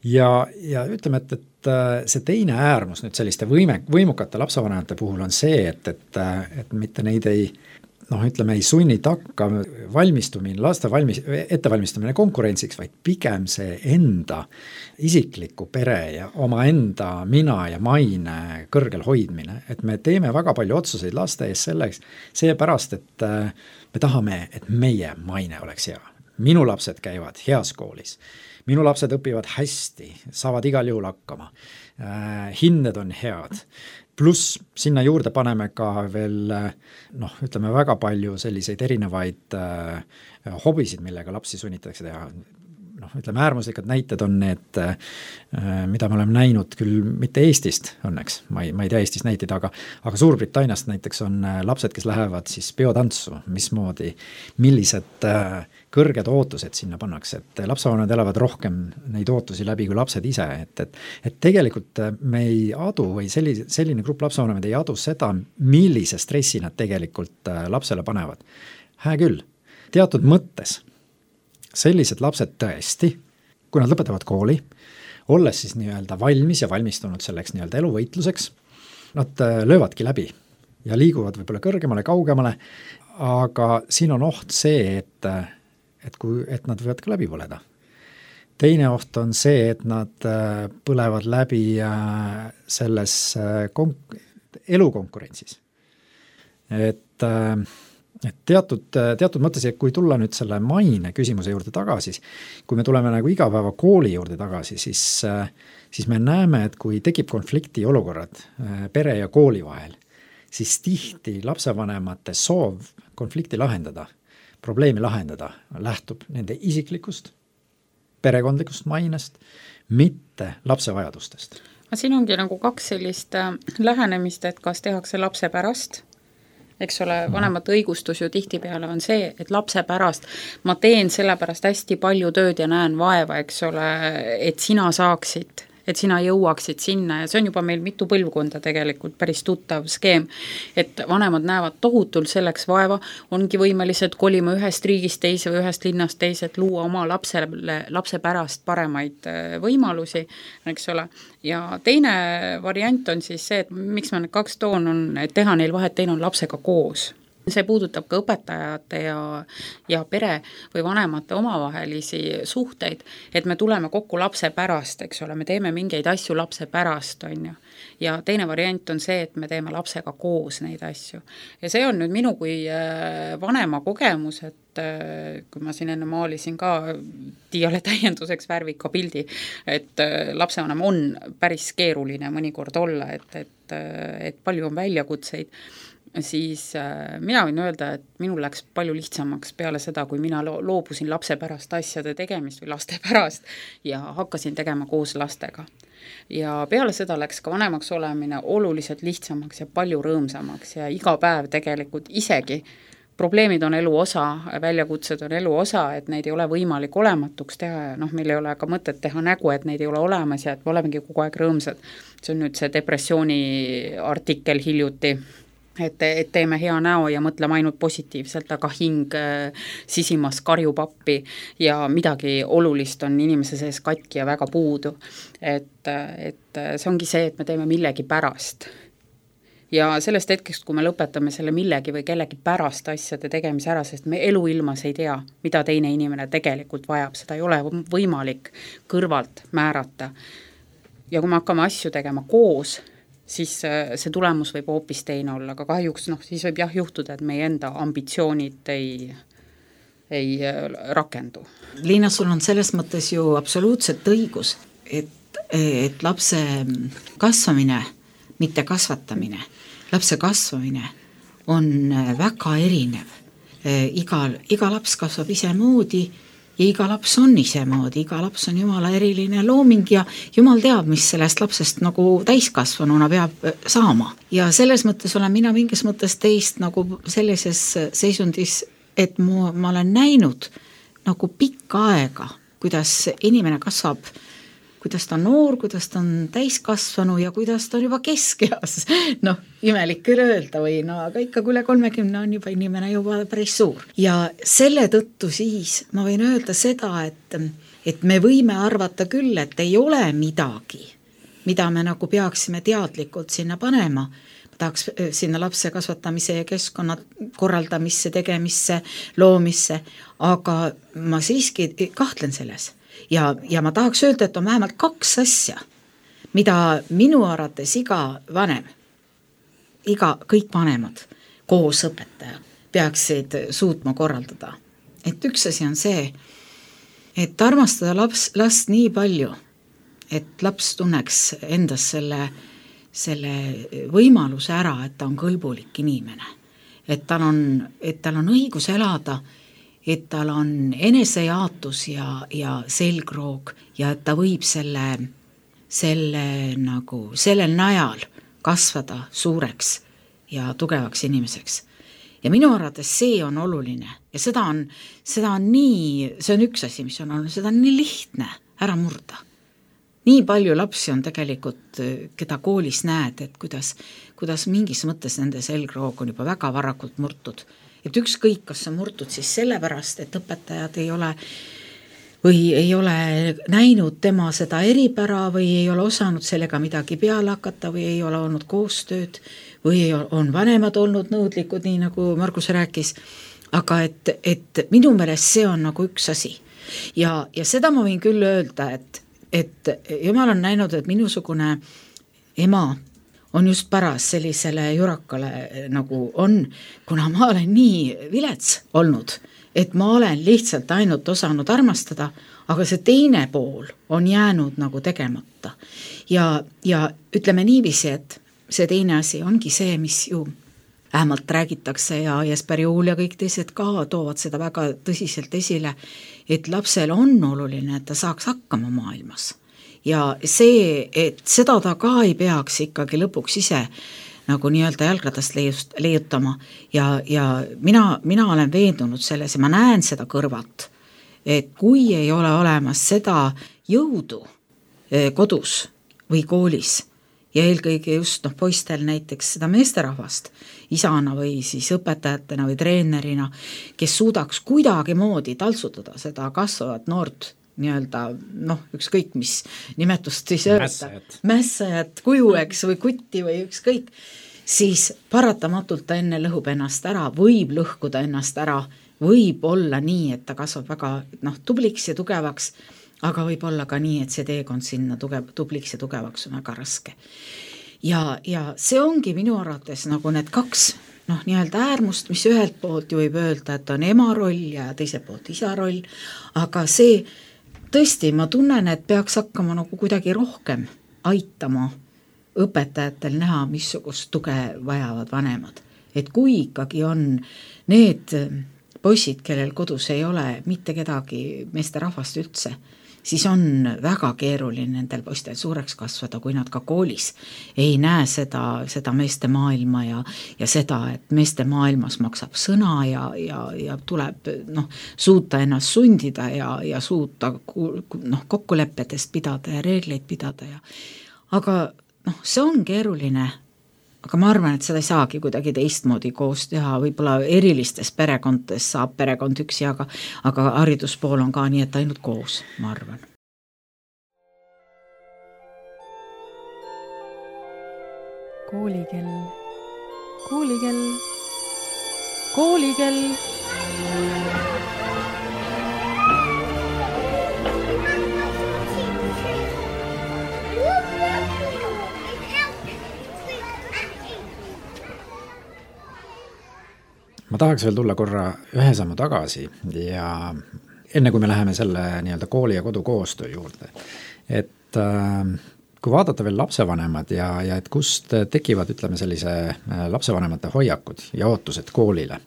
Ja, ja ütleme, et, et see teine äärmus nüüd selliste võime, võimukate lapsevanemate puhul on see, et, et, et mitte neid ei, noh, ütleme, ei sunni takka valmistumine, laste valmis, ettevalmistamine konkurentsiks, vaid pigem see enda isikliku pere ja oma enda mina ja maine kõrgel hoidmine, et me teeme väga palju otsuseid laste ees selleks, seepärast, et me tahame, et meie maine oleks hea. Minu lapsed käivad heas koolis. Minu lapsed õpivad hästi, saavad igal juhul hakkama, äh, hinded on head, pluss sinna juurde paneme ka veel, noh, ütleme väga palju selliseid erinevaid äh, hobisid, millega lapsi sunnitakse teha. Noh, ütleme äärmuslikud näited on need, äh, mida me oleme näinud küll mitte Eestist õnneks, ma ei, ma ei tea Eestist näiteid, aga, aga Suurbritanniast näiteks on lapsed, kes lähevad siis peotantsu, mismoodi, millised äh, kõrged ootused sinna pannakse, et lapsevanemad elavad rohkem neid ootusi läbi kui lapsed ise, et, et, et tegelikult me ei adu või selline, selline grupp lapsevanemad ei adu seda, millise stressi nad tegelikult lapsele panevad. Hää küll, teatud mõttes sellised lapsed tõesti, kui nad lõpetavad kooli, olles siis nii-öelda valmis ja valmistunud selleks nii-öelda eluvõitluseks, nad löövadki läbi ja liiguvad võib-olla kõrgemale, kaugemale, aga siin on oht see, et et, kui, et nad võivad ka läbi põleda. Teine oht on see, et nad põlevad läbi selles konk- elukonkurentsis. Et, et teatud, teatud mõttes, et kui tulla nüüd selle maine küsimuse juurde tagasi, kui me tuleme nagu igapäeva kooli juurde tagasi, siis, siis me näeme, et kui tekib konflikti olukorrad pere ja kooli vahel, siis tihti lapsevanemate soov konflikti lahendada, probleemi lahendada, lähtub nende isiklikust, perekondlikust mainest, mitte lapse vajadustest. Siin ongi nagu kaks sellist lähenemist, et kas tehakse lapse pärast, eks ole, vanemate õigustus ju tihtipeale on see, et lapse pärast ma teen selle pärast hästi palju tööd ja näen vaeva, eks ole, et sina saaksid, et sina jõuaksid sinna ja see on juba meil mitu põlvkonda tegelikult päris tuttav skeem, et vanemad näevad tohutult selleks vaeva, ongi võimelised kolima ühest riigist teise või ühest linnast teise, et luua oma lapsele, lapse pärast paremaid võimalusi, eks ole. Ja teine variant on siis see, et miks ma need kaks toon on, et teha neil vahet, teine on lapsega koos. See puudutab ka õpetajate ja, ja pere või vanemate omavahelisi suhteid, et me tuleme kokku lapse pärast, eks ole, me teeme mingeid asju lapse pärast, on ju. Ja teine variant on see, et me teeme lapsega koos neid asju. Ja see on nüüd minu kui vanema kogemus, et kui ma siin enne maalisin ka Tiiale täienduseks värvika pildi, et lapsevanem on päris keeruline mõnikord olla, et, et, et palju on väljakutseid, siis äh, mina võin öelda, et minul läks palju lihtsamaks peale seda, kui mina lo- loobusin lapse pärast asjade tegemist või laste pärast ja hakkasin tegema koos lastega. Ja peale seda läks ka vanemaks olemine oluliselt lihtsamaks ja palju rõõmsamaks ja iga päev tegelikult isegi probleemid on elu osa, väljakutsed on elu osa, et neid ei ole võimalik olematuks teha ja noh, meil ei ole ka mõtet teha nägu, et neid ei ole olemas ja et me olemegi kogu aeg rõõmsad. See on nüüd see depressiooni artikkel hiljuti, et, et teeme hea näo ja mõtleme ainult positiivselt, aga hing sisimas karjub appi ja midagi olulist on inimese sees katki ja väga puudu. Et, et see ongi see, et me teeme millegi pärast. Ja sellest hetkest, kui me lõpetame selle millegi või kellegi pärast asjade tegemise ära, sest me eluilmas ei tea, mida teine inimene tegelikult vajab, seda ei ole võimalik kõrvalt määrata. ja kui me hakkame asju tegema koos, siis see tulemus võib hoopis teine olla, aga kahjuks noh, siis võib jah juhtuda, et meie enda ambitsioonid ei, ei rakendu. Liina, sul on selles mõttes ju absoluutselt õigus, et, et lapse kasvamine, mitte kasvatamine, lapse kasvamine on väga erinev. Iga, iga laps kasvab isemoodi ja iga laps on isemoodi, iga laps on Jumala eriline looming ja Jumal teab, mis sellest lapsest nagu täiskasvanuna peab saama. Ja selles mõttes olen mina mingis mõttes teist nagu sellises seisundis, et mu, ma olen näinud nagu pikka aega, kuidas inimene kasvab, kuidas ta on noor, kuidas ta on täiskasvanu ja kuidas ta on juba keskeas. Noh, imelik küll öelda või no, aga ikka üle kolmekümne on juba inimene juba päris suur. Ja selle tõttu siis ma võin öelda seda, et, et me võime arvata küll, et ei ole midagi, mida me nagu peaksime teadlikult sinna panema. Tahaks sinna lapse kasvatamise ja keskkonna korraldamisse, tegemisse, loomisse, aga ma siiski kahtlen selles. Ja, ja ma tahaks öelda, et on vähemalt kaks asja, mida minu arvates iga vanem, iga, kõik vanemad koos õpetaja peaksid suutma korraldada. Et üks asi on see, et armastada laps, last nii palju, et laps tunneks endas selle, selle võimaluse ära, et ta on kõlbulik inimene, et tal on, et tal on õigus elada, et tal on enesejaatus ja, ja selgroog ja et ta võib selle, selle nagu sellel najal kasvada suureks ja tugevaks inimeseks. Ja minu arvates see on oluline ja seda on, seda on nii, see on üks asi, mis on olnud, seda on nii lihtne ära murda. Nii palju lapsi on tegelikult, keda koolis näed, et kuidas, kuidas mingis mõttes nende selgroog on juba väga varakult murtud. Et ükskõik, kas on murtud siis sellepärast, et õpetajad ei ole või ei ole näinud tema seda eripära või ei ole osanud sellega midagi peale hakata või ei ole olnud koostööd või on vanemad olnud nõudlikud, nii nagu Margus rääkis, aga et, et minu meelest see on nagu üks asi. Ja, ja seda ma võin küll öelda, et, et Jumal on näinud, et minusugune ema on just paras sellisele jurakale nagu on, kuna ma olen nii vilets olnud, et ma olen lihtsalt ainult osanud armastada, aga see teine pool on jäänud nagu tegemata. Ja, ja ütleme niiviisi, et see teine asi ongi see, mis ju vähemalt räägitakse ja Jesper Juul ja kõik teised ka toovad seda väga tõsiselt esile, et lapsel on oluline, et ta saaks hakkama maailmas. Ja see, et seda ta ka ei peaks ikkagi lõpuks ise nagu nii-öelda jalgratast leiutama ja, ja mina, mina olen veendunud selles ja ma näen seda kõrvalt, et kui ei ole olemas seda jõudu kodus või koolis ja eelkõige just noh, poistel näiteks seda meesterahvast isana või siis õpetajatena või treenerina, kes suudaks kuidagi moodi taltsutada seda kasvavat noort nii-öelda, noh, ükskõik mis nimetust siis öelda, mässajat, kuju, eks, või kutti või ükskõik, siis paratamatult ta enne lõhub ennast ära, võib lõhkuda ennast ära, võib olla nii, et ta kasvab väga noh, tubliks ja tugevaks, aga võib olla ka nii, et see teekond sinna tugev, tubliks ja tugevaks on väga raske. Ja, ja see ongi minu arvates nagu need kaks noh, nii-öelda äärmust, mis ühelt poolt ju võib öelda, et on ema roll ja teiselt poolt isa roll, aga see tõesti, ma tunnen, et peaks hakkama nagu kuidagi rohkem aitama õpetajatel näha, missugust tuge vajavad vanemad. Et kui ikkagi on need poisid, kellel kodus ei ole mitte kedagi meesterahvast üldse, siis on väga keeruline nendel poistel suureks kasvada, kui nad ka koolis ei näe seda, seda meeste maailma ja, ja seda, et meeste maailmas maksab sõna ja, ja, ja tuleb noh, suuta ennast sundida ja, ja suuta noh, kokkulepetest pidada ja reegleid pidada. Ja. Aga noh, see on keeruline, aga ma arvan, et seda ei saagi kuidagi teistmoodi koos teha, võib-olla erilistes perekondades saab perekond üksi, aga, aga hariduspool on ka nii, et ainult koos, ma arvan. Koolikell, koolikell, koolikell. ma tahaks veel tulla korra ühe sammu tagasi ja enne kui me läheme selle nii-öelda kooli ja kodu koostöö juurde, et äh, kui vaadata veel lapsevanemad ja, ja et kust tekivad, ütleme sellise lapsevanemate hoiakud ja ootused koolile,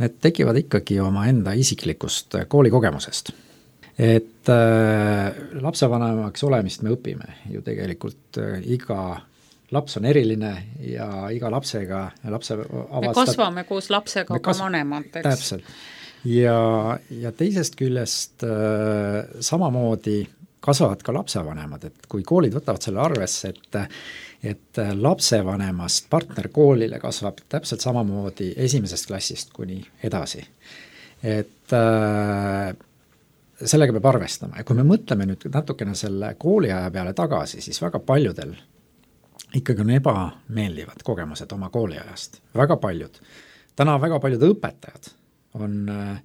need tekivad ikkagi oma enda isiklikust koolikogemusest. Et äh, lapsevanemaks olemist me õpime ju tegelikult äh, iga laps on eriline ja iga lapsega lapse avastab, me kasvame koos lapsega ka kasv... vanemateks. Täpselt. Ja, ja teisest küljest äh, samamoodi kasvavad ka lapsevanemad, et kui koolid võtavad selle arvesse, et, et lapsevanemast partner koolile kasvab täpselt samamoodi esimesest klassist kuni edasi. Et äh, sellega peab arvestama ja kui me mõtleme nüüd natukene selle kooliaja peale tagasi, siis väga paljudel ikkagi on ebameeldivad kogemused oma kooliajast, väga paljud. Täna väga paljud õpetajad on äh,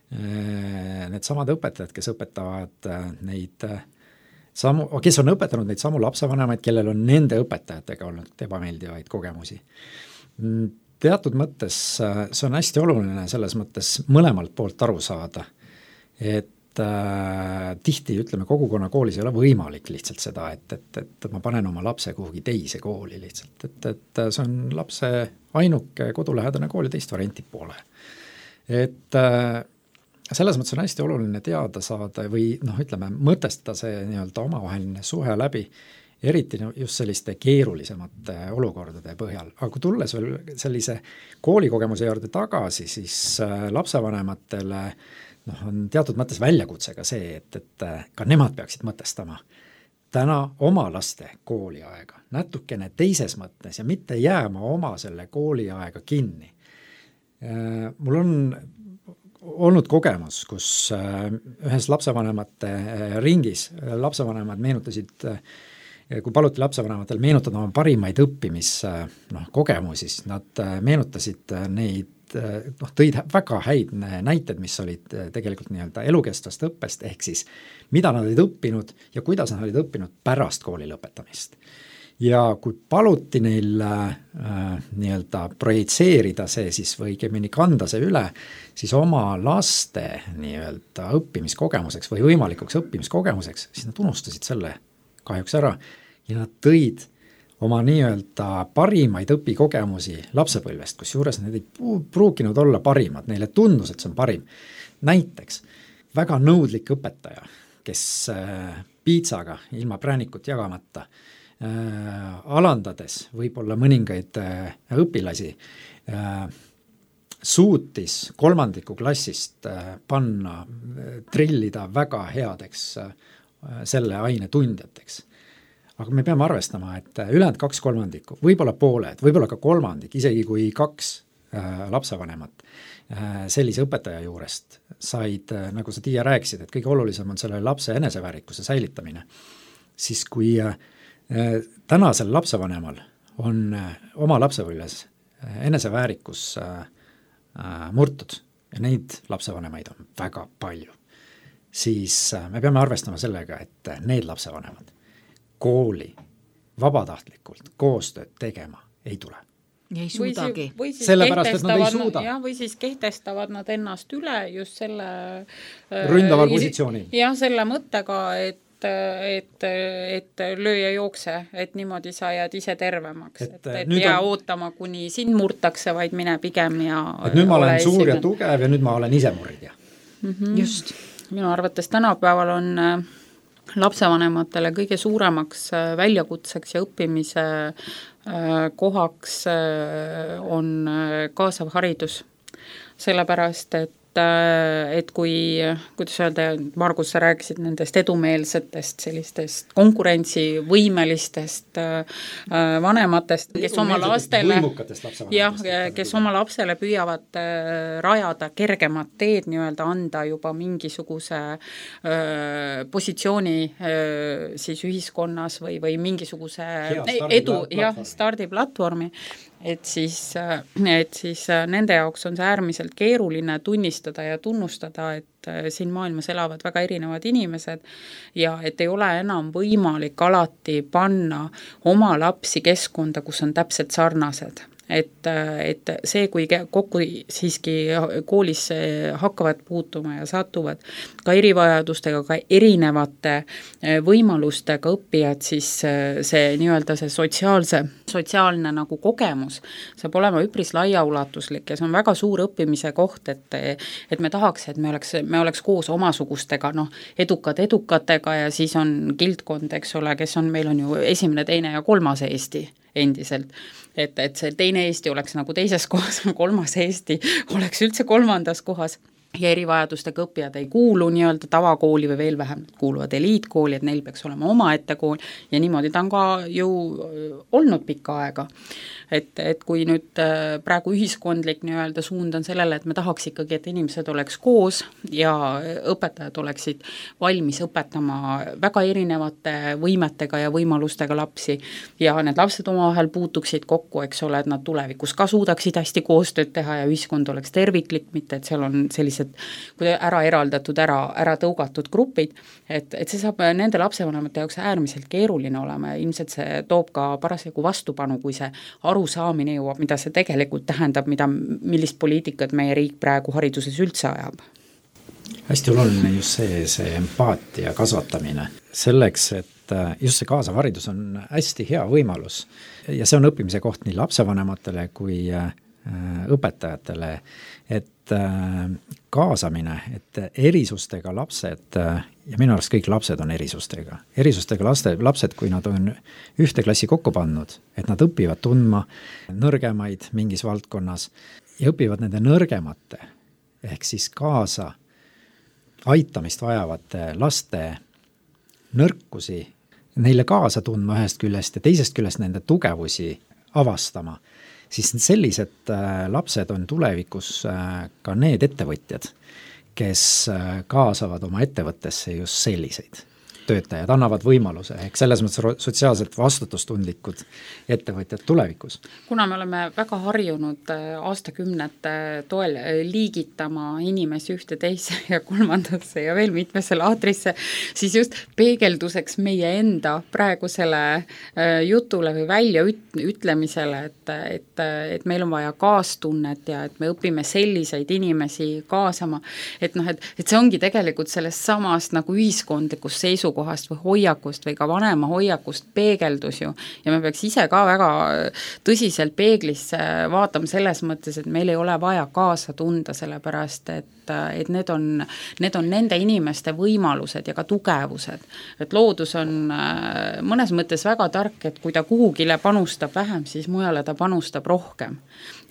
need samad õpetajad, kes õpetavad neid samu, kes on õpetanud neid samu lapsevanemaid, kellel on nende õpetajatega olnud ebameeldivaid kogemusi. Teatud mõttes see on hästi oluline selles mõttes mõlemalt poolt aru saada, et äh, tihti, ütleme, kogukonna koolis ei ole võimalik lihtsalt seda, et, et, et ma panen oma lapse kuhugi teise kooli lihtsalt, et, et see on lapse ainuke kodulähedane kool ja teist varianti pole. Et äh, selles mõttes on hästi oluline teada saada või noh, ütleme, mõtestada see nii-öelda omavaheline suhe läbi, eriti just selliste keerulisemate olukordade põhjal. Aga kui tulles veel sellise koolikogemuse juurde tagasi, siis lapsevanematele noh, on teatud mõttes väljakutse ka see, et, et ka nemad peaksid mõtestama täna oma laste kooliaega natukene teises mõttes ja mitte jääma oma selle kooliaega kinni. Mul on olnud kogemus, kus ühes lapsevanemate ringis lapsevanemad meenutasid, kui paluti lapsevanematel meenutada oma parimaid õppimis noh, kogemusi, siis nad meenutasid neid, noh, tõid väga häid näited, mis olid tegelikult nii-öelda elukestvast õppest, ehk siis mida nad olid õppinud ja kuidas nad olid õppinud pärast kooli lõpetamist. Ja kui paluti neil äh, nii-öelda projitseerida see siis või õigemini kanda see üle, siis oma laste nii-öelda õppimiskogemuseks või võimalikuks õppimiskogemuseks, siis nad unustasid selle kahjuks ära ja nad tõid oma nii-öelda parimaid õpikogemusi lapsepõlvest, kus juures need ei pruukinud olla parimad, neile tundus, et see on parim. Näiteks väga nõudlik õpetaja, kes äh, piitsaga ilma präänikut jagamata Äh, alandades võib-olla mõningaid äh, õpilasi äh, suutis kolmandiku klassist äh, panna, äh, trillida väga headeks äh, selle aine tundjateks. Aga me peame arvestama, et ülejäänud kaks kolmandikku, võib-olla pooled, võib-olla ka kolmandik, isegi kui kaks äh, lapsevanemat äh, sellise õpetaja juurest said, äh, nagu sa Tiia rääkisid, et kõige olulisem on selle lapse eneseväärikuse säilitamine, siis kui äh, tänasel lapsevanemal on oma lapsepõlves eneseväärikus murtud ja neid lapsevanemaid on väga palju, siis me peame arvestama sellega, et need lapsevanemad kooli vabatahtlikult koostööd tegema ei tule. Ei suudagi. Või siis, sellepärast, et nad ei suuda. Ja, või siis kehtestavad nad ennast üle just selle ründaval positsioonil. Ja selle mõttega, et et, et löö ja jookse, et niimoodi sa jääd ise tervemaks, et, et, et jää on... ootama, kuni sind murtakse, vaid mine pigem ja et nüüd ma olen suur ja tugev ja nüüd ma olen ise murdja. Mm-hmm. Just. Minu arvates tänapäeval on lapsevanematele kõige suuremaks väljakutseks ja õppimise kohaks on kaasav haridus. Sellepärast, et et kui, kuidas öelda, Margus, sa rääkisid nendest edumeelsetest, sellistest konkurentsivõimelistest vanematest, kes oma lastele, jah, kes oma lapsele püüavad rajada kergemat teed, nii-öelda anda juba mingisuguse positsiooni siis ühiskonnas või, või mingisuguse edu, jah, stardiplatvormi, et siis, et siis nende jaoks on see äärmiselt keeruline tunnistada ja tunnustada, et siin maailmas elavad väga erinevad inimesed ja et ei ole enam võimalik alati panna oma lapsi keskkonda, kus on täpselt sarnased. et, et see, kui kokku siiski koolis hakkavad puutuma ja satuvad ka erivajadustega, ka erinevate võimalustega õppijad, siis see nii-öelda see sotsiaalse, sotsiaalne nagu kogemus saab olema üpris laiaulatuslik ja see on väga suur õppimise koht, et, et me tahaks, et me oleks, me oleks koos omasugustega, noh, edukad edukatega ja siis on kildkond, eks ole, kes on, meil on ju esimene, teine ja kolmas Eesti endiselt, et, et see teine Eesti oleks nagu teises kohas, kolmas Eesti oleks üldse kolmandas kohas ja erivajadustega õppijad ei kuulu nii-öelda tavakooli või veel vähem kuuluvad eliitkooli, et neil peaks olema omaette kool ja niimoodi ta on ka ju olnud pikka aega. Et, et kui nüüd praegu ühiskondlik nii-öelda suund on sellele, et me tahaks ikkagi, et inimesed oleks koos ja õpetajad oleksid valmis õpetama väga erinevate võimetega ja võimalustega lapsi ja need lapsed omavahel puutuksid kokku, eks ole, et nad tulevikus ka suudaksid hästi koostööd teha ja ühiskond oleks terviklik, mitte et seal on sellised ära eraldatud, ära, ära tõugatud grupid, et, et see saab nende lapsevanemate jaoks äärmiselt keeruline olema ja ilmselt see toob ka parasjagu vastupanu, kui see arusaamine jõuab, mida see tegelikult tähendab, mida, millist poliitikat meie riik praegu hariduses üldse ajab. Hästi oluline just see, see empaatia kasvatamine. Selleks, et just see kaasav haridus on hästi hea võimalus ja see on õppimise koht nii lapsevanematele kui õpetajatele, et kaasamine, et erisustega lapsed, ja minu arust kõik lapsed on erisustega, erisustega laste, lapsed, kui nad on ühte klassi kokku pannud, et nad õpivad tundma nõrgemaid mingis valdkonnas ja õpivad nende nõrgemate, ehk siis kaasa aitamist vajavate laste nõrkusi, neile kaasa tundma ühest küljest ja teisest küljest nende tugevusi avastama, siis sellised lapsed on tulevikus ka need ettevõtjad, kes kaasavad oma ettevõttesse just selliseid töötajad, annavad võimaluse, ehk selles mõttes sotsiaalselt vastutustundlikud ettevõtjad tulevikus. Kuna me oleme väga harjunud aastakümnete toel liigitama inimesi ühte teise ja kolmandasse ja veel mitmesse laatrisse, siis just peegelduseks meie enda praegusele jutule või välja ütlemisele, et, et, et meil on vaja kaastunnet ja et me õpime selliseid inimesi kaasama, et, noh, et, et see ongi tegelikult sellest samast nagu ühiskondlikust seisu kohast või hoiakust või ka vanema hoiakust peegeldus ju ja me peaks ise ka väga tõsiselt peeglisse vaatama selles mõttes, et meil ei ole vaja kaasa tunda, sellepärast et, et need on, need on nende inimeste võimalused ja ka tugevused. Et loodus on mõnes mõttes väga tark, et kui ta kuhugile panustab vähem, siis mujale ta panustab rohkem.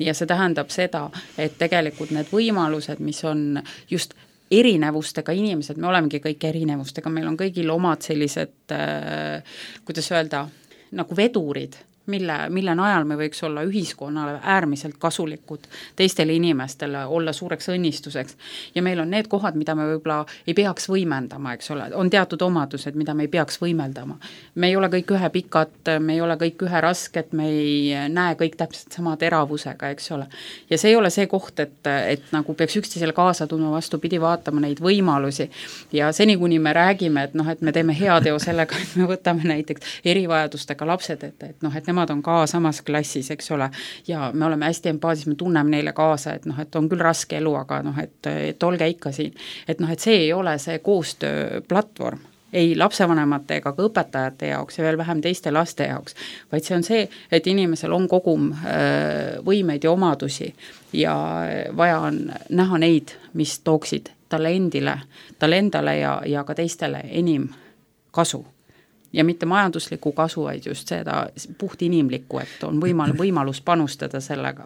Ja see tähendab seda, et tegelikult need võimalused, mis on just erinevustega inimesed, me olemegi kõik erinevustega, meil on kõigil omad sellised, äh, kuidas öelda, nagu vedurid, mille, mille najal me võiks olla ühiskonnale äärmiselt kasulikud teistele inimestele, olla suureks õnnistuseks. Ja meil on need kohad, mida me võib-olla ei peaks võimendama, eks ole, on teatud omadused, mida me ei peaks võimeldama. Me ei ole kõik ühe pikad, me ei ole kõik ühe rasked, me ei näe kõik täpselt sama teravusega, eks ole. Ja see ei ole see koht, et, et nagu peaks üksteisele kaasa tundma, vastupidi vaatama neid võimalusi. Ja seni, kuni me räägime, et, noh, et me teeme heateo sellega, et me võtame näiteks erivajadustega lapsed, et, et, noh, et nemad on ka samas klassis, eks ole, ja me oleme hästi empaatis, me tunneme neile kaasa, et noh, et on küll raske elu, aga noh, et, et olge ikka siin. Et noh, et see ei ole see koostööplatvorm, ei lapsevanemate ega ka õpetajate jaoks ja veel vähem teiste laste jaoks, vaid see on see, et inimesel on kogum võimeid ja omadusi ja vaja on näha neid, mis tooksid talle endile, talle endale ja, ja ka teistele enim kasu. Ja mitte majandusliku kasu, vaid just seda puht inimlikku, et on võimal, võimalus panustada sellega.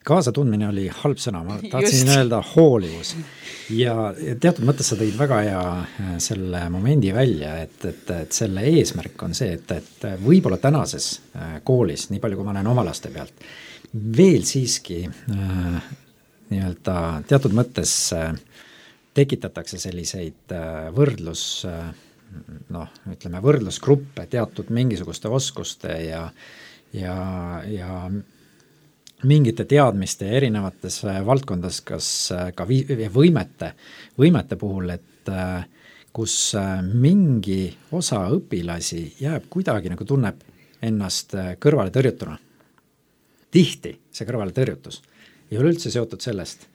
Kaasatundmine oli halb sõna, ma tahtsin just öelda hoolivus. Ja teatud mõttes sa tõid väga hea selle momendi välja, et, et, et selle eesmärk on see, et, et võib-olla tänases koolis, nii palju kui ma näen oma laste pealt, veel siiski äh, nii-öelda teatud mõttes äh, tekitatakse selliseid äh, võrdlus äh, noh, ütleme võrdlusgruppe teatud mingisuguste oskuste ja, ja, ja mingite teadmiste erinevates valdkondades, kas ka võimete, võimete puhul, et kus mingi osa õpilasi jääb kuidagi nagu tunneb ennast kõrvale tõrjutuna. tihti see kõrvaletõrjutus ei ole üldse seotud sellest,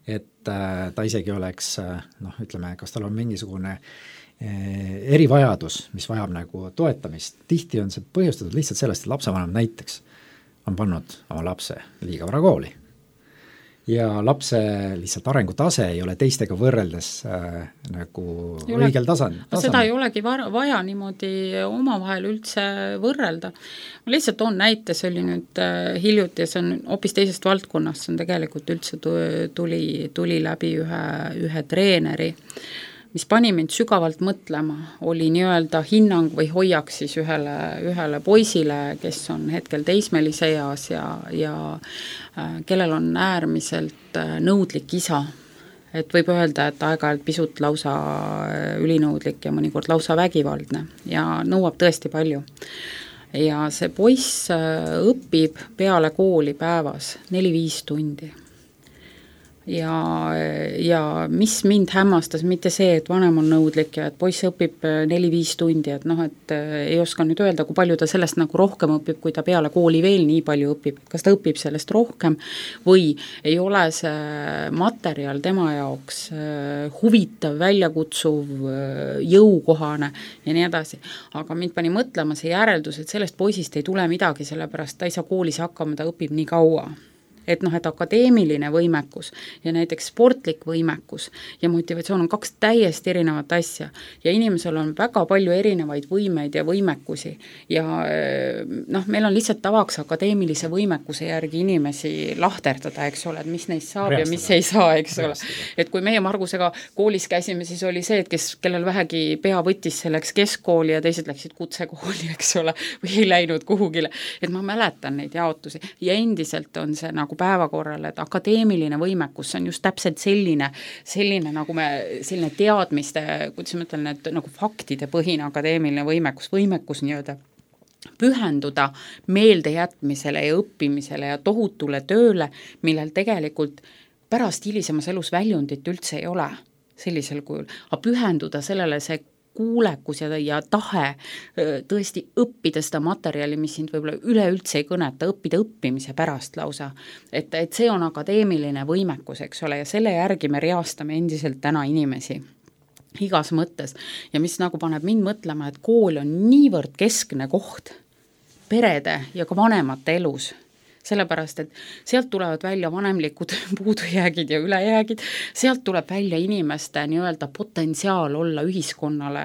et äh, ta isegi oleks äh, noh, ütleme, kas tal on mingisugune äh, erivajadus, mis vajab nagu toetamist, tihti on see põhjustatud lihtsalt sellest, et lapsevanem näiteks on pannud oma lapse liiga vara kooli ja lapse lihtsalt arengutase ei ole teistega võrreldes äh, nagu ole, õigel tasand, tasand. Seda ei olegi vaja niimoodi omavahel üldse võrrelda. Ma lihtsalt toon näite, see oli nüüd äh, hiljuti ja see on hoopis teisest valdkonnast, see on tegelikult üldse tuli, tuli läbi ühe, ühe treeneri, mis pani mind sügavalt mõtlema, oli nii-öelda hinnang või hoiak siis ühele, ühele poisile, kes on hetkel teismelise eas ja, ja äh, kellel on äärmiselt äh, nõudlik isa. Et võib öelda, et aeg-ajalt pisut lausa ülinõudlik ja mõnikord lausa vägivaldne ja nõuab tõesti palju. Ja see poiss äh, õpib peale kooli päevas neli-viis tundi. Ja, ja mis mind hämmastas, mitte see, et vanem on nõudlik ja et poiss õpib neli-viis tundi, et noh, et ei oska nüüd öelda, kui palju ta sellest nagu rohkem õpib, kui ta peale kooli veel nii palju õpib, kas ta õpib sellest rohkem või ei ole see materjal tema jaoks huvitav, väljakutsuv, jõukohane ja nii edasi. Aga mind pani mõtlema see järeldus, et sellest poisist ei tule midagi, sellepärast ta ei saa koolis hakkama, ta õpib nii kaua. Et noh, et akadeemiline võimekus ja näiteks sportlik võimekus ja motivatsioon on kaks täiesti erinevat asja ja inimesel on väga palju erinevaid võimeid ja võimekusi ja noh, meil on lihtsalt tavaks akadeemilise võimekuse järgi inimesi lahterdada, eks ole, et mis neist saab Reastada. Ja mis ei saa, eks Reastada. Ole. Et kui meie Margusega koolis käisime, siis oli see, et kes, kellel vähegi pea võttis selleks keskkooli ja teised läksid kutsekooli, eks ole, või ei läinud kuhugile, et ma mäletan neid jaotusi ja endiselt on see nagu päevakorral, et akadeemiline võimekus on just täpselt selline, selline nagu me, selline teadmiste, kuidas ma ütlen, et nagu faktide põhine akadeemiline võimekus, võimekus nii-öelda pühenduda meeldejätmisele ja õppimisele ja tohutule tööle, millel tegelikult pärast hilisemas elus väljundit üldse ei ole sellisel kujul, aga pühenduda sellele see kuulekus ja, ja tahe tõesti õppida seda materjali, mis sind võib-olla üleüldse ei kõneta, õppida õppimise pärast lausa. Et, et see on akadeemiline võimekus, eks ole, ja selle järgi me reastame endiselt täna inimesi igas mõttes. Ja mis nagu paneb mind mõtlema, et kool on niivõrd keskne koht perede ja ka vanemate elus, sellepärast, et sealt tulevad välja vanemlikud puudujäägid ja ülejäägid, sealt tuleb välja inimeste nii-öelda potentsiaal olla ühiskonnale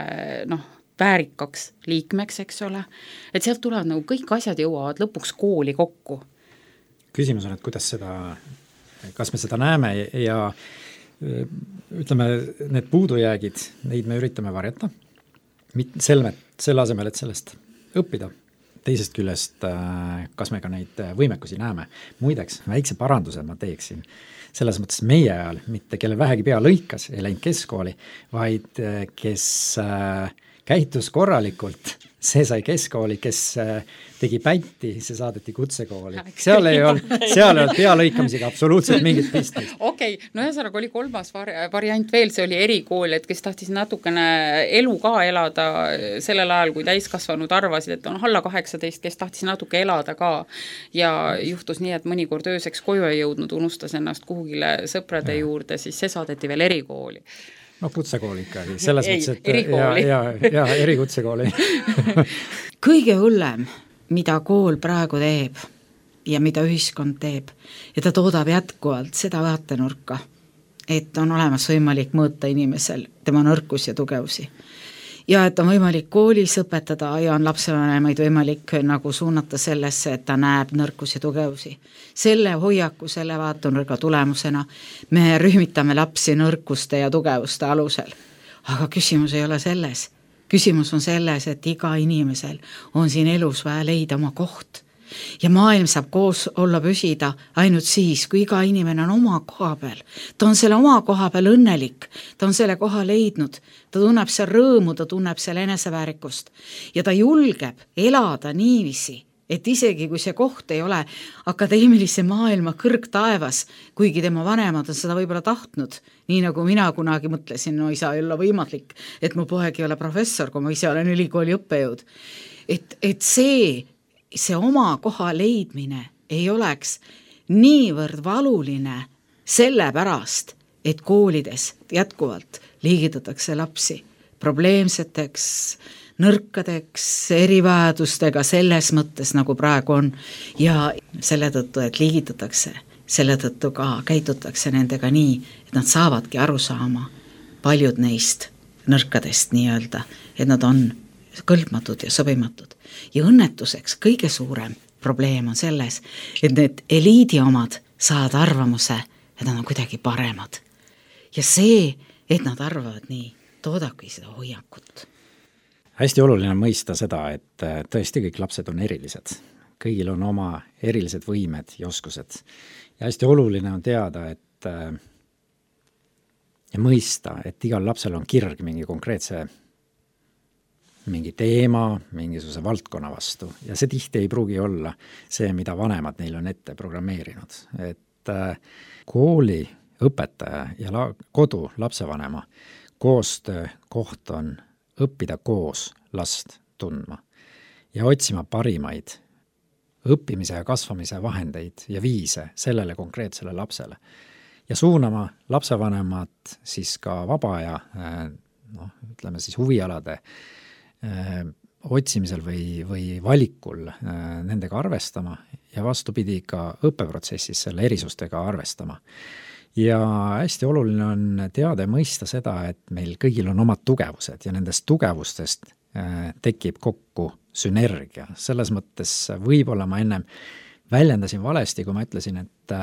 noh, väärikaks liikmeks, eks ole, et sealt tulevad nagu kõik asjad jõuavad lõpuks kooli kokku. Küsimus on, et kuidas seda, kas me seda näeme ja ütleme, need puudujäägid, neid me üritame varjata, selle, selle asemel, et sellest õppida. Teisest küljest, kas me ka neid võimekusi näeme. Muideks, väikse paranduse ma teeksin. Selles mõttes meie ajal, mitte kelle vähegi pea lõikas, ei läinud keskkooli, vaid kes käitus korralikult, see sai keskkooli, kes tegi pätti, see saadeti kutsekooli. Seal ei olnud, seal ei olnud pealõikamisega absoluutselt mingit pistmist. Okei, okay. No ühesõnaga oli kolmas variant veel, see oli erikool, et kes tahtis natukene elu ka elada sellel ajal, kui täiskasvanud arvasid, et on alla kaheksateist, kes tahtis natuke elada ka ja juhtus nii, et mõnikord ööseks koju ei jõudnud, unustas ennast kuhugile sõprade ja. Juurde, siis see saadeti veel erikooli. No kutsekooli ikkagi, selles ei, mõttes, et erikooli. ja, ja, ja erikutsekooli. Kõige hullem, mida kool praegu teeb ja mida ühiskond teeb ja ta toodab jätkuvalt seda vaatenurka, et on olemas võimalik mõõta inimesel tema nõrkus ja tugevusi. Ja et on võimalik koolis õpetada ja on lapsevanemaid võimalik nagu suunata sellesse, et ta näeb nõrkus ja tugevusi. Selle hoiaku, selle vaatenurga tulemusena me rühmitame lapsi nõrkuste ja tugevuste alusel. Aga küsimus ei ole selles. Küsimus on selles, et iga inimesel on siin elus vaja leida oma koht. Ja maailm saab koos olla püsida ainult siis, kui iga inimene on oma koha peal. Ta on selle oma koha peal õnnelik, ta on selle koha leidnud, ta tunneb seal rõõmu, ta tunneb seal eneseväärikust ja ta julgeb elada niiviisi, et isegi kui see koht ei ole akadeemilise maailma kõrgtaevas, kuigi tema vanemad on seda võib-olla tahtnud, nii nagu mina kunagi mõtlesin, no ei saa olla võimalik, et mu poeg ei ole professor, kui ma ise olen ülikooli õppejõud. Et, et see see oma koha leidmine ei oleks niivõrd valuline sellepärast, et koolides jätkuvalt liigitatakse lapsi probleemseteks, nõrkadeks, erivajadustega selles mõttes, nagu praegu on, ja selle tõttu, et liigitatakse, selle tõttu ka käitutakse nendega nii, et nad saavadki aru saama, paljud neist nõrkadest nii-öelda, et nad on kõlbmatud ja sobimatud. Ja õnnetuseks kõige suurem probleem on selles, et need eliidi omad saavad arvamuse, et nad on kuidagi paremad. Ja see, et nad arvavad nii, toodabki seda hoiakut. Hästi oluline on mõista seda, et tõesti kõik lapsed on erilised. Kõigil on oma erilised võimed ja oskused. Ja hästi oluline on teada, et ja mõista, et igal lapsel on kirg mingi konkreetse mingi teema, mingisuguse valdkonna vastu. Ja see tihti ei pruugi olla see, mida vanemad neil on ette programmeerinud. Et kooli õpetaja ja la- kodu lapsevanema koostöö koht on õppida koos last tundma ja otsima parimaid õppimise ja kasvamise vahendeid ja viise sellele konkreetsele lapsele. Ja suunama lapsevanemat siis ka vaba aja, noh, ütleme siis huvialade öö, otsimisel või, või valikul öö, nendega arvestama ja vastupidi ka õppeprotsessis selle erisustega arvestama. Ja hästi oluline on teada ja mõista seda, et meil kõigil on omad tugevused ja nendest tugevustest öö, tekib kokku sünergia. Selles mõttes võib-olla ma ennem väljendasin valesti, kui ma ütlesin, et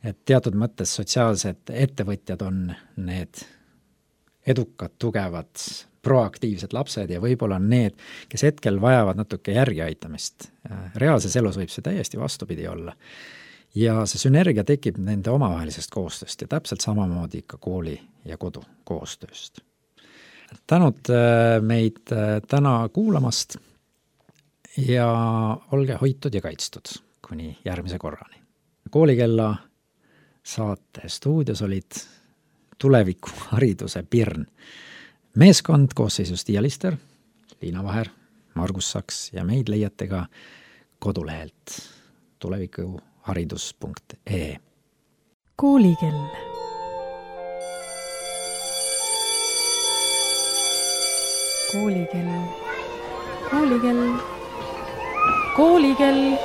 et teatud mõttes sotsiaalsed ettevõtjad on need edukad, tugevad, proaktiivsed lapsed ja võib-olla on need, kes hetkel vajavad natuke järgi aitamist. Reaalses elus võib see täiesti vastupidi olla. Ja see sünergia tekib nende omavahelisest koostööst ja täpselt samamoodi ikka kooli ja kodu koostööst. Tänud meid täna kuulamast ja olge hoitud ja kaitstud kuni järgmise korrani. Koolikella saate stuudios olid tuleviku hariduse Pirn. Meeskond koosseisus Tiia Lister, Liina Vaher, Margus Saks ja meid leiate ka kodulehelt tulevikuharidus punkt ee. Koolikell. Koolikell. Koolikell. Koolikell.